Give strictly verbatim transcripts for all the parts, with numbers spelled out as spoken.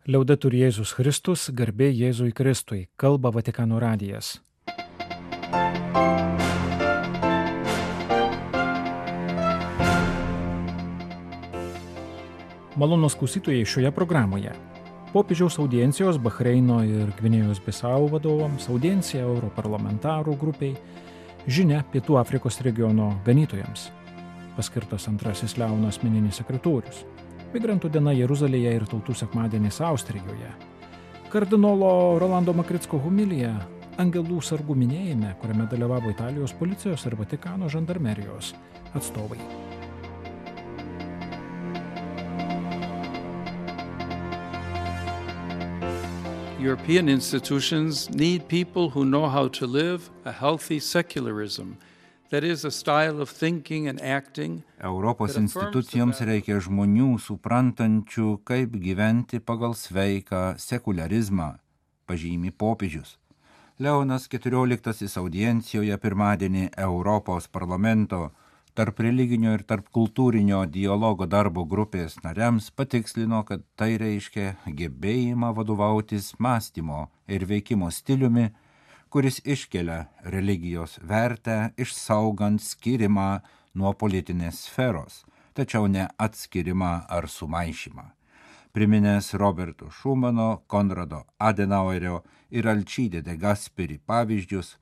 Liaudetur Jėzus Kristus, garbė Jėzui Kristui, kalba Vatikano radijas. Malonūs klausytojai šioje programoje. Popiežiaus audiencijos Bahreino ir Gvinėjos Bisau vadovams, audiencija europarlamentarų grupiai, žinia Pietų Afrikos regiono ganytojams, paskirtas antrasis Leono asmeninis sekretorius, migrantų diena Jeruzalėje ir tautų sekmadienis Austrijoje, kardinolo Rolando Makricko homilija Angelų sargų minėjime, kuriame dalyvavo Italijos policijos ir Vatikano žandarmerijos atstovai. European institutions need people who know how to live a healthy secularism, that is a style of thinking and acting. Europos institucijoms reikia žmonių suprantančių, kaip gyventi pagal sveiką sekularizmą, pažymi popiežius. Leonas keturioliktasis audiencijoje pirmadienį Europos parlamento tarp religinio ir tarp kultūrinio dialogo darbo grupės nariams patikslino, kad tai reiškia gebėjimą vadovautis mąstymo ir veikimo stiliumi, kuris iškelia religijos vertę, išsaugant skirimą nuo politinės sferos, tačiau ne atskirimą ar sumaišymą. Priminęs Roberto Šumano, Konrado Adenauerio ir Alcide de Gasperi pavyzdžius,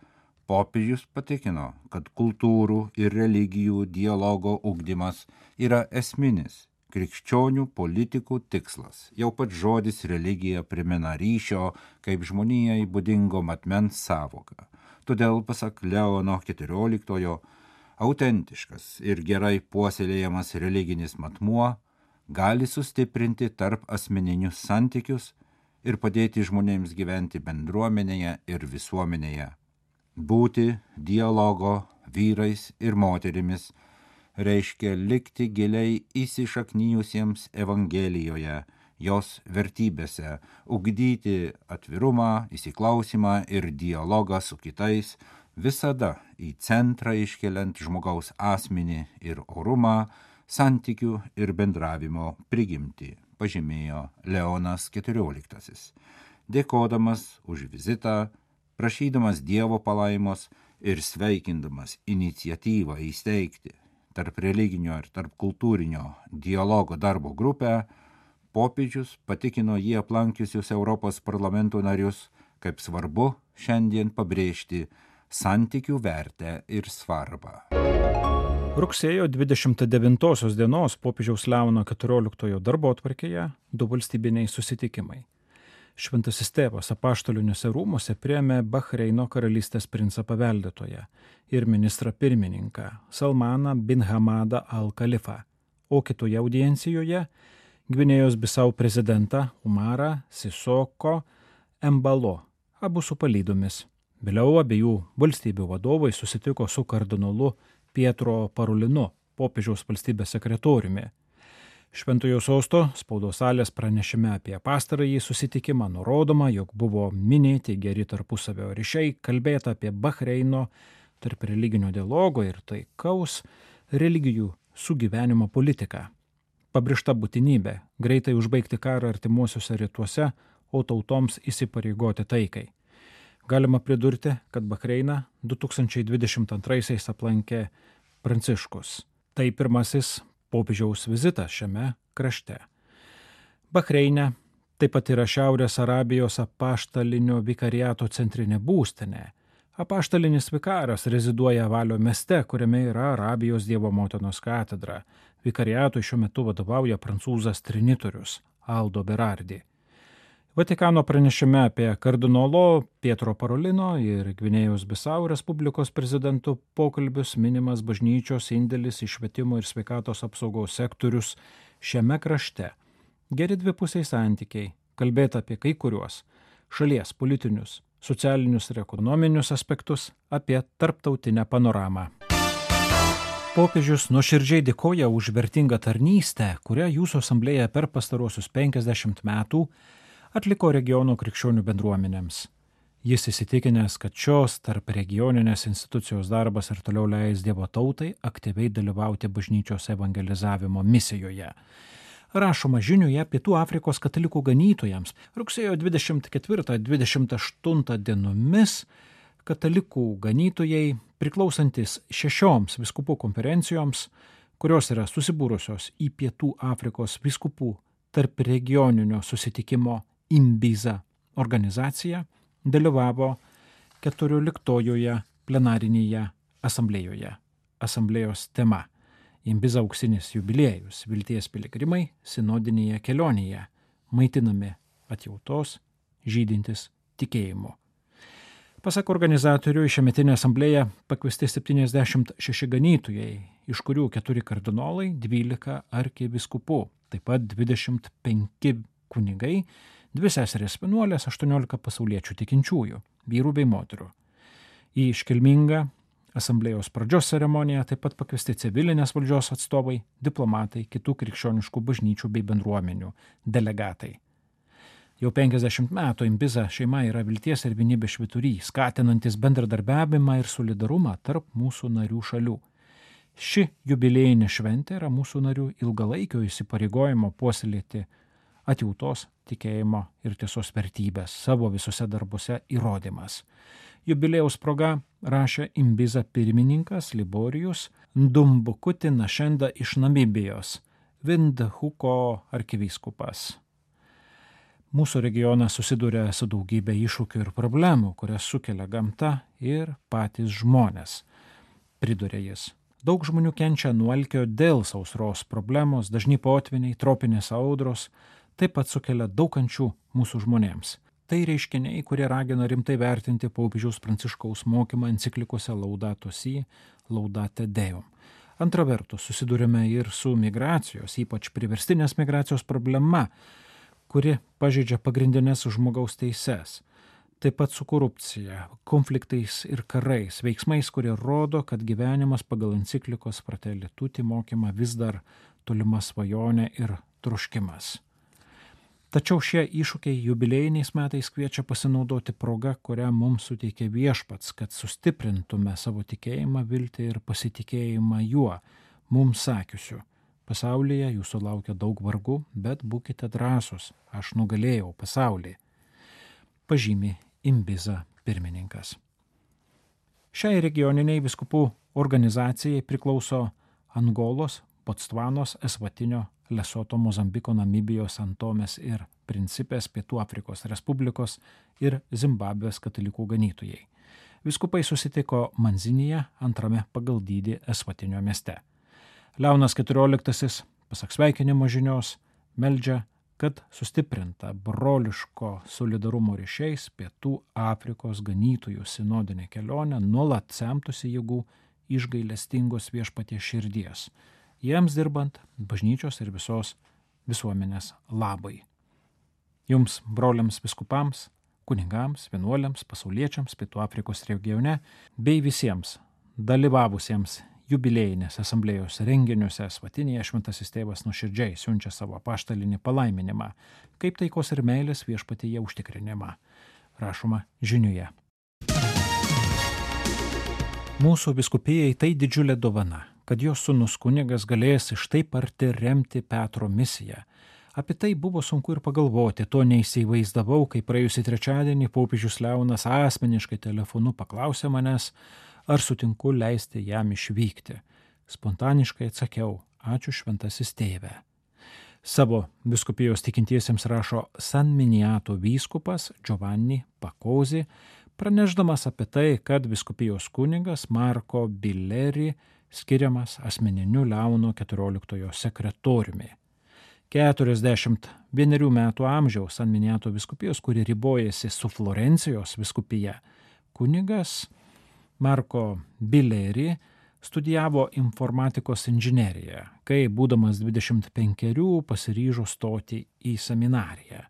popiežius patikino, kad kultūrų ir religijų dialogo ugdymas yra esminis krikščionių politikų tikslas. Jau pats žodis religija primena ryšio kaip žmonijai būdingo matmens sąvoką. Todėl, pasak Leono keturioliktojo, autentiškas ir gerai puoselėjamas religinis matmuo gali sustiprinti tarp asmeninius santykius ir padėti žmonėms gyventi bendruomenėje ir visuomenėje. Būti dialogo vyrais ir moterimis reiškia likti giliai įsišaknijusiems Evangelijoje, jos vertybėse, ugdyti atvirumą, įsiklausimą ir dialogą su kitais, visada į centrą iškeliant žmogaus asmenį ir orumą, santykių ir bendravimo prigimtį, pažymėjo Leonas keturioliktasis. Dėkodamas už vizitą, prašydamas Dievo palaimos ir sveikindamas iniciatyvą įsteigti tarp religinio ir tarp kultūrinio dialogo darbo grupę, popiežius patikino jį aplankiusius Europos parlamento narius, kaip svarbu šiandien pabrėžti santykių vertę ir svarbą. Rugsėjo dvidešimt devintosios dienos popiežiaus Leono keturioliktojo darbotvarkėje du valstybiniai susitikimai. Šventasis tėvas apaštaliniuose rūmuose priėmė Bahreino karalystės princą paveldėtoją ir ministrą pirmininką Salmaną bin Hamadą al-Khalifą, o kitoje audiencijoje Gvinėjos Bisau prezidentą Umarą Sisoko Embalo, abu su palydomis. Vėliau abiejų valstybių vadovai susitiko su kardinolu Pietro Parolinu, popiežiaus valstybės sekretoriumi. Šventojo sosto spaudos salės pranešime apie pastarąjį susitikimą nurodoma, jog buvo minėti geri tarpusavio ryšiai, kalbėta apie Bahreino tarp religinio dialogo ir taikaus religijų sugyvenimo politiką. Pabrėžta būtinybė greitai užbaigti karą artimuosiuose rytuose, o tautoms įsipareigoti taikai. Galima pridurti, kad Bahreiną du tūkstančiai dvidešimt antraisiais aplankė Pranciškus. Tai pirmasis popiežiaus vizitas šiame krašte. Bahreine taip pat yra Šiaurės Arabijos apaštalinio vikariato centrinė būstinė. Apaštalinis vikaras reziduoja Valio mieste, kuriame yra Arabijos Dievo motinos katedra. Vikariatui šiuo metu vadovauja prancūzas trinitorius Aldo Berardi. Vatikano pranešime apie kardinolo Pietro Parolino ir Gvinėjos Bisau Respublikos prezidentų pokalbius minimas bažnyčios indėlis į švietimo ir sveikatos apsaugos sektorius šiame krašte. Geri dvipusiai santykiai, kalbėta apie kai kuriuos šalies politinius, socialinius ir ekonominius aspektus, apie tarptautinę panoramą. Popiežius nuoširdžiai dėkoja už vertingą tarnystę, kurią jūsų asamblėja per pastaruosius penkiasdešimt metų atliko regiono krikščionių bendruomenėms. Jis įsitikinęs, kad šios tarp regioninės institucijos darbas ir toliau leis Dievo tautai aktyviai dalyvauti bažnyčios evangelizavimo misijoje. Rašoma žiniuje Pietų Afrikos katalikų ganytojams. Rugsėjo dvidešimt ketvirtą dvidešimt aštuntą dienomis katalikų ganytojai, priklausantis šešioms vyskupų konferencijoms, kurios yra susibūrusios į Pietų Afrikos vyskupų tarp regioninio susitikimo Imbiza organizaciją, dalyvavo keturioliktojoje plenarinėje asamblėjoje. Asamblėjos tema – Imbiza auksinis jubiliejus, vilties piligrimai sinodinėje kelionėje, maitinami atjautos, žydintis tikėjimu. Pasak organizatorių, į šiąmetinę asamblėją pakviesti septyniasdešimt šeši ganytojai, iš kurių keturi kardinolai, dvylika arkivyskupų, taip pat dvidešimt penki kunigai, dvi seserės vienuolės, aštuoniolika pasauliečių tikinčiųjų, vyrų bei moterų. Į iškilmingą asamblėjos pradžios ceremoniją taip pat pakviesti civilinės valdžios atstovai, diplomatai, kitų krikščioniškų bažnyčių bei bendruomenių delegatai. Jau penkiasdešimt metų Imbiza šeima yra vilties ir vienybės švyturys, skatinantis bendradarbiavimą ir solidarumą tarp mūsų narių šalių. Ši jubiliejinė šventė yra mūsų narių ilgalaikio įsipareigojimo puoselėti atjautos, tikėjimo ir tiesos vertybės savo visose darbuose įrodymas. Jubiliejaus proga rašė Imbiza pirmininkas Liborijus Ndumbukuti Našenda iš Namibijos, Vindhuko arkivyskupas. Mūsų regionas susiduria su daugybė iššūkių ir problemų, kurias sukelia gamta ir patys žmonės, pridūrė jis. Daug žmonių kenčia nuo alkio dėl sausros problemos, dažni potviniai, tropinės audros, taip pat sukelia daug kančių mūsų žmonėms. Tai reiškiniai, kurie ragina rimtai vertinti popiežiaus Pranciškaus mokymą enciklikose Laudato Si, Laudate Deum. Antra vertus, susidurime ir su migracijos, ypač priverstinės migracijos problema, kuri pažeidžia pagrindinės žmogaus teises. Taip pat su korupcija, konfliktais ir karais, veiksmais, kurie rodo, kad gyvenimas pagal enciklikos Fratelli Tutti mokymą vis dar tolima svajonė ir troškimas. Tačiau šie iššūkiai jubiliejiniais metais kviečia pasinaudoti progą, kurią mums suteikė Viešpats, kad sustiprintume savo tikėjimą, viltį ir pasitikėjimą juo, mums sakiusiu. Pasaulyje jūsų laukia daug vargų, bet būkite drąsūs, aš nugalėjau pasaulį. Pažymi Imbiza pirmininkas. Šiai regioniniai vyskupų organizacijai priklauso Angolos, Botsvanos, Esvatinio, Lesoto, Mozambiko, Namibijos, Santomės ir Principės, Pietų Afrikos Respublikos ir Zimbabvės katalikų ganytojai. Vyskupai susitiko Manzinyje, antrame pagal dydį Esvatinio mieste. Leonas keturioliktasis, pasak sveikinimo žinios, meldžia, kad sustiprinta broliško solidarumo ryšiais Pietų Afrikos ganytojų sinodinė kelionė nuolat semtųsi jėgų iš gailestingos Viešpaties širdies, jiems dirbant bažnyčios ir visos visuomenės labai. Jums, broliams vyskupams, kunigams, vienuoliams, pasauliečiams Pietų Afrikos regione bei visiems dalyvavusiems jubiliejinės asamblėjos renginiuose Esvatinėje šventasis tėvas nuoširdžiai siunčia savo apaštalinį palaiminimą, kaip taikos ir meilės Viešpatyje užtikrinimą. Rašoma žiniuje. Mūsų vyskupijai tai didžiulė dovana, kad jos sūnus kunigas galės iš taip arti remti Petro misiją. Apie tai buvo sunku ir pagalvoti, to neįsivaizdavau, kai praėjusį trečiadienį popiežius Leonas asmeniškai telefonu paklausė manęs, ar sutinku leisti jam išvykti. Spontaniškai atsakiau, ačiū šventasis tėve. Savo vyskupijos tikintiesiems rašo San Miniato vyskupas Giovanni Pakozi, pranešdamas apie tai, kad vyskupijos kunigas Marko Bileri skiriamas asmeniniu Leono keturioliktojo sekretoriumi. keturiasdešimt vienerių metų amžiaus San Miniato vyskupijos, kuri ribojasi su Florencijos vyskupija, kunigas Marko Bileri studijavo informatikos inžineriją, kai būdamas dvidešimt penkerių pasiryžo stoti į seminariją.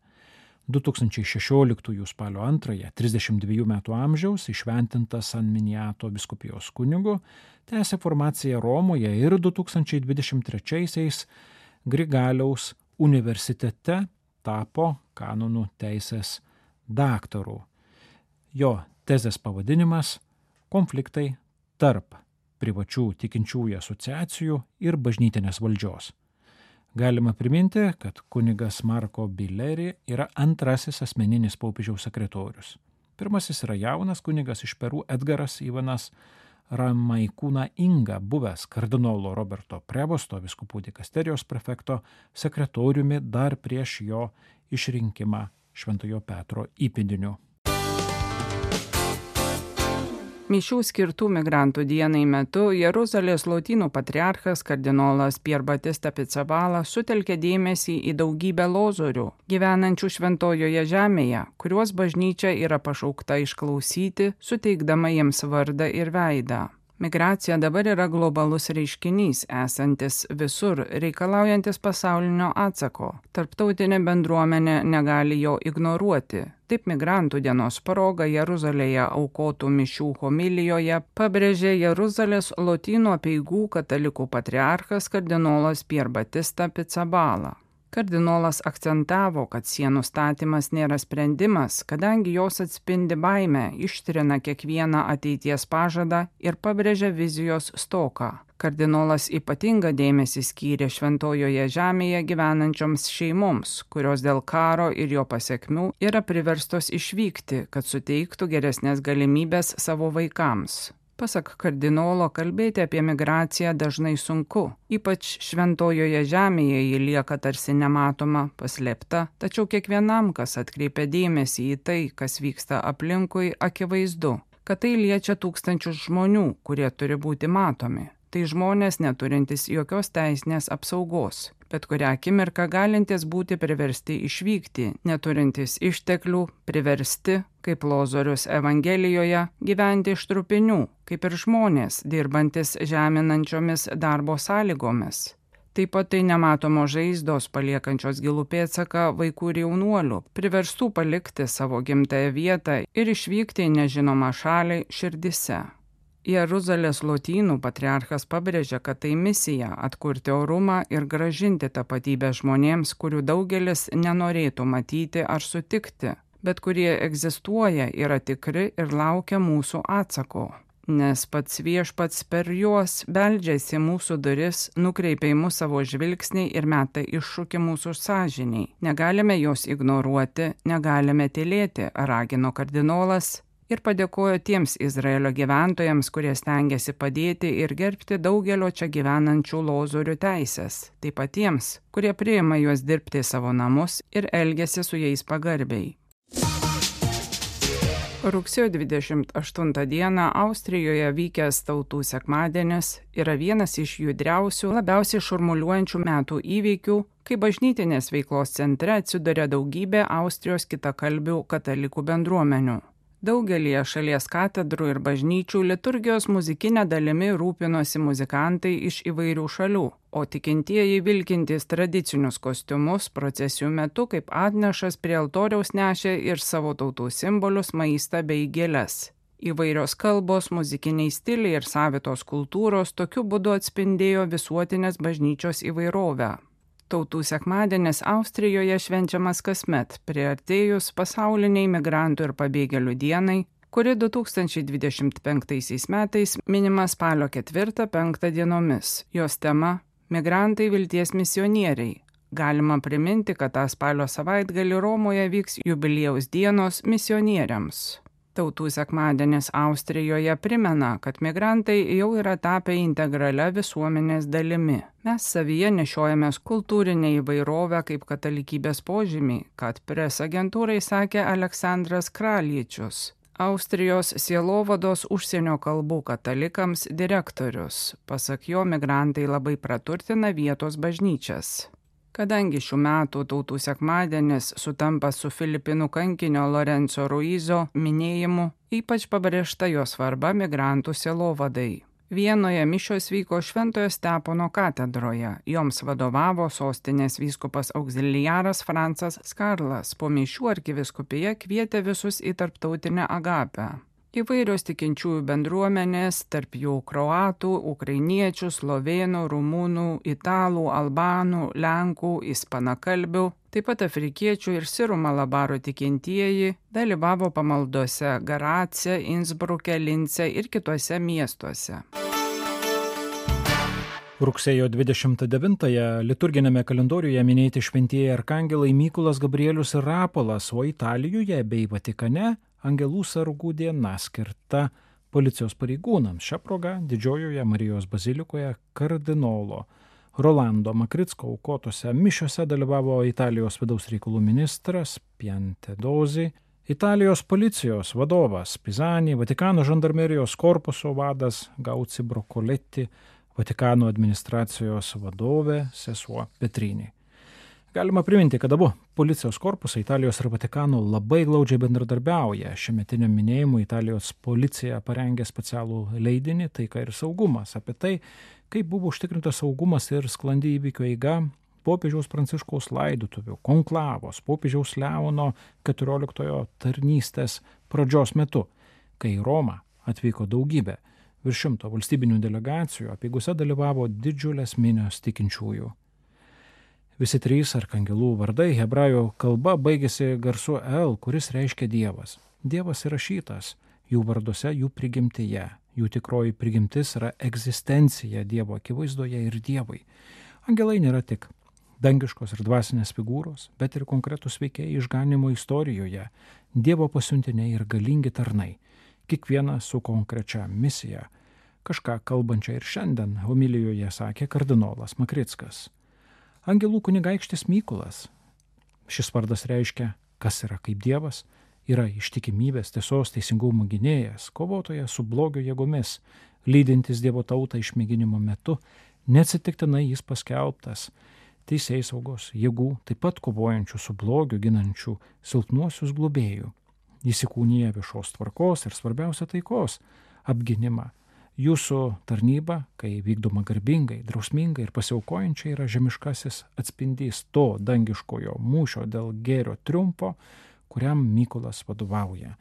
du tūkstančiai šešioliktųjų spalio antrąją, trisdešimt dviejų metų amžiaus, išventintas San Miniato vyskupijos kunigu, tęsė formaciją Romoje ir du tūkstančiai dvidešimt trečiaisiais Grigaliaus universitete tapo kanonų teisės daktaru. Jo tezės pavadinimas – konfliktai tarp privačių tikinčiųjų asociacijų ir bažnytinės valdžios. Galima priminti, kad kunigas Marko Bileri yra antrasis asmeninis popiežiaus sekretorius. Pirmasis yra jaunas kunigas iš Peru Edgaras Ivanas Ramaikūna Inga, buvęs kardinolo Roberto Prevosto vyskupų dikasterijos prefekto sekretoriumi dar prieš jo išrinkimą Šventojo Petro įpėdiniu. Mišių skirtų migrantų dienai metu Jeruzalės lotynų patriarchas kardinolas Pier Batista Pizzaballa sutelkė dėmesį į daugybę lozorių, gyvenančių šventojoje žemėje, kuriuos bažnyčia yra pašaukta išklausyti, suteikdama jiems vardą ir veidą. Migracija dabar yra globalus reiškinys, esantis visur, reikalaujantis pasaulinio atsako. Tarptautinė bendruomenė negali jo ignoruoti. Taip migrantų dienos proga Jeruzalėje aukotų mišių homilijoje pabrėžė Jeruzalės lotynų apeigų katalikų patriarchas kardinolas Pier Batista Pizzaballa. Kardinolas akcentavo, kad sienų statymas nėra sprendimas, kadangi jos atspindi baimę, ištrina kiekvieną ateities pažadą ir pabrėžia vizijos stoką. Kardinolas ypatingą dėmesį skyrė šventojoje žemėje gyvenančioms šeimoms, kurios dėl karo ir jo pasekmių yra priverstos išvykti, kad suteiktų geresnės galimybės savo vaikams. Pasak kardinolo, kalbėti apie migraciją dažnai sunku, ypač šventojoje žemėje ji lieka tarsi nematoma, paslėpta, tačiau kiekvienam, kas atkreipia dėmesį į tai, kas vyksta aplinkui, akivaizdu, kad tai liečia tūkstančius žmonių, kurie turi būti matomi. Tai žmonės neturintys jokios teisinės apsaugos, bet kurią akimirką galintys būti priversti išvykti, neturintys išteklių, priversti, kaip Lozorius Evangelijoje, gyventi iš trupinių, kaip ir žmonės, dirbantis žeminančiomis darbo sąlygomis. Taip pat tai nematomos žaizdos paliekančios gilų pėdsaką vaikų ir jaunuolių, priverstų palikti savo gimtąją vietą ir išvykti į nežinomą šalį širdise. Jeruzalės lotynų patriarchas pabrėžia, kad tai misija atkurti orumą ir gražinti tapatybę žmonėms, kurių daugelis nenorėtų matyti ar sutikti, bet kurie egzistuoja, yra tikri ir laukia mūsų atsako. Nes pats viešpats per juos beldžiasi mūsų duris, nukreipia į mus savo žvilgsnį ir meta iššūkį mūsų sąžiniai. Negalime jos ignoruoti, negalime tylėti, ragino kardinolas. Ir padėkojo tiems Izraelio gyventojams, kurie stengiasi padėti ir gerbti daugelio čia gyvenančių lozorių teisės, taip pat tiems, kurie priima juos dirbti savo namus ir elgiasi su jais pagarbiai. Rugsėjo dvidešimt aštuntą dieną Austrijoje vykęs Tautų sekmadienis yra vienas iš judriausių, labiausiai šurmuliuojančių metų įvykių, kai bažnytinės veiklos centre atsiduria daugybė Austrijos kitakalbių katalikų bendruomenių. Daugelį šalies katedrų ir bažnyčių liturgijos muzikinė dalimi rūpinosi muzikantai iš įvairių šalių, o tikintieji vilkintys tradicinius kostiumus procesijų metu kaip atnešas prie altoriaus nešė ir savo tautų simbolius, maistą bei gėles. Įvairios kalbos, muzikiniai stiliai ir savitos kultūros tokiu būdu atspindėjo visuotinės bažnyčios įvairovę. Tautų sekmadienis Austrijoje švenčiamas kasmet, priartėjus pasauliniai migrantų ir pabėgėlių dienai, kuri du tūkstančiai dvidešimt penktaisiais metais minima spalio ketvirtą penktą dienomis. Jos tema – migrantai vilties misionieriai. Galima priminti, kad tą spalio savaitgalį Romoje vyks jubiliejaus dienos misionieriams. Tautų sekmadienis Austrijoje primena, kad migrantai jau yra tapę integralia visuomenės dalimi. Mes savyje nešiojamės kultūrinę įvairovę kaip katalikybės požymį, kad pres agentūrai sakė Aleksandras Kraljičius, Austrijos sielovados užsienio kalbų katalikams direktorius. Pasak jo, migrantai labai praturtina vietos bažnyčias. Kadangi šių metų Tautų sekmadienis sutampa su Filipinų kankinio Lorenzo Ruizo minėjimu, ypač pabrėžta jo svarba migrantų sielovadai. Vienoje mišios vyko Šventojo Stepono katedroje, joms vadovavo sostinės vyskupas auxiliaras Francas Skarlas, po mišių arkivyskupija kvietė visus į tarptautinę agapę. Įvairios tikinčiųjų bendruomenės, tarp jų kroatų, ukrainiečių, slovėnų, rumunų, italų, albanų, lenkų, ispanakalbių, taip pat afrikiečių ir sirų malabaro tikintieji dalyvavo pamaldose Garace, Innsbruke, Lince ir kituose miestuose. Rugsėjo dvidešimt devintąją liturginėme kalendoriuje minėti šventieji arkangelai Mykolas, Gabrielius ir Rapolas, o Italijoje bei Vatikane Angelų sargų diena skirta policijos pareigūnams. Šią progą Didžiojoje Marijos bazilikoje kardinolo Rolando Makricko aukotose mišiose dalyvavo Italijos vidaus reikalų ministras Piantedosi, Italijos policijos vadovas Pisani, Vatikano žandarmerijos korpuso vadas Gauci Brokoletti, Vatikano administracijos vadovė sesuo Petrini. Galima priminti, kad abu policijos korpusai Italijos ir Vatikano labai glaudžiai bendradarbiauja. Šiemetiniam minėjimui Italijos policija parengė specialų leidinį Taika ir saugumas apie tai, kaip buvo užtikrintas saugumas ir sklandi įvykio eiga popiežiaus Pranciškaus laidotuvių, konklavos, popiežiaus Leono keturioliktojo tarnystės pradžios metu, kai į Romą atvyko daugybė virš šimto valstybinių delegacijų, apeigose dalyvavo didžiulės minios tikinčiųjų. Visi trys arkangelų vardai hebrajų kalba baigėsi garsu El, kuris reiškia Dievas. Dievas įrašytas jų varduose, jų prigimtyje. Jų tikroji prigimtis yra egzistencija Dievo akivaizdoje ir Dievai. Angelai nėra tik dangiškos ir dvasinės figūros, bet ir konkretus veikėjai išganimo istorijoje, Dievo pasiuntiniai ir galingi tarnai. Kiekvienas su konkrečia misija. Kažką kalbančią ir šiandien homilijoje sakė kardinolas Makrickas. Angelų kunigaikštis Mykolas. Šis vardas reiškia, kas yra kaip Dievas, yra ištikimybės, tiesos, teisingumo gynėjas, kovotojas su blogio jėgomis, lydintis Dievo tautą išmėginimo metu, neatsitiktinai jis paskelbtas teisėsaugos jėgų, taip pat kovojančių su blogiu, ginančių silpnuosius globėjų. Jis įkūnija viešos tvarkos ir svarbiausia taikos apginimą. Jūsų tarnyba, kai vykdoma garbingai, drausmingai ir pasiaukojančiai, yra žemiškasis atspindys to dangiškojo mūšio dėl gėrio triumfo, kuriam Mykolas vadovauja,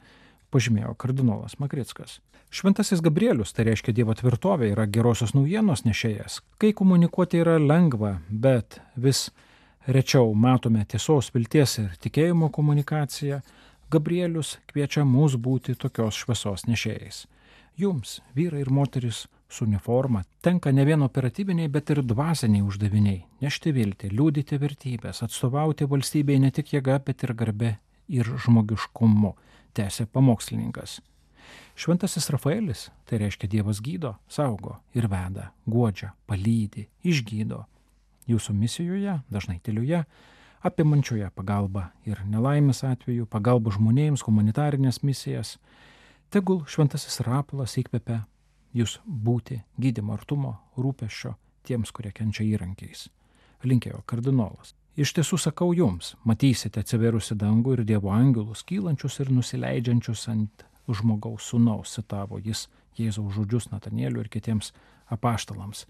pažymėjo kardinolas Makrickas. Šventasis Gabrielius, tai reiškia Dievo tvirtovė, yra gerosios naujienos nešėjas. Kai komunikuoti yra lengva, bet vis rečiau matome tiesos, vilties ir tikėjimo komunikaciją, Gabrielius kviečia mus būti tokios šviesos nešėjais. Jums, vyrai ir moteris su uniforma, tenka ne vien operatyviniai, bet ir dvasiniai uždaviniai – nešti viltį, liudyti vertybės, atstovauti valstybei ne tik jėga, bet ir garbe ir žmogiškumu, tęsė pamokslininkas. Šventasis Rafaelis, tai reiškia Dievas gydo, saugo ir veda, guodžia, palydi, išgydo. Jūsų misijoje, dažnai tylioje, apimančioje pagalbą ir nelaimės atveju, pagalbą žmonėms, humanitarinės misijas. Tegul šventasis Rapolas įkvepia jūs būti gydymo artumo, rūpesčio tiems, kurie kenčia įrankiais. Linkėjo kardinolas. Iš tiesų sakau jums, matysite atsivėrusi dangų ir Dievo angelus, kylančius ir nusileidžiančius ant žmogaus sūnaus, citavo jis Jėzaus žodžius Natanieliui ir kitiems apaštalams.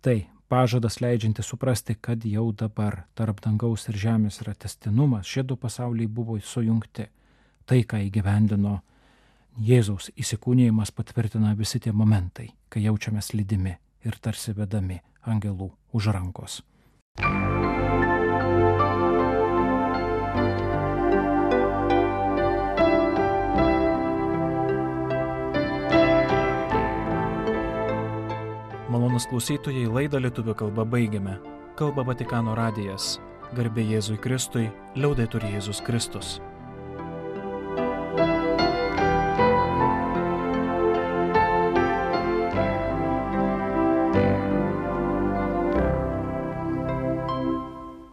Tai pažadas leidžianti suprasti, kad jau dabar tarp dangaus ir žemės yra tęstinumas, šie du pasauliai buvo sujungti. Tai, ką įgyvendino Jėzaus įsikūnijimas, patvirtina visi tie momentai, kai jaučiamės lydimi ir tarsi vedami angelų už rankos. Malonūs klausytojai, laidą lietuvių kalba baigiame. Kalba Vatikano radijas. Garbė Jėzui Kristui, liaudetur Jėzus Kristus.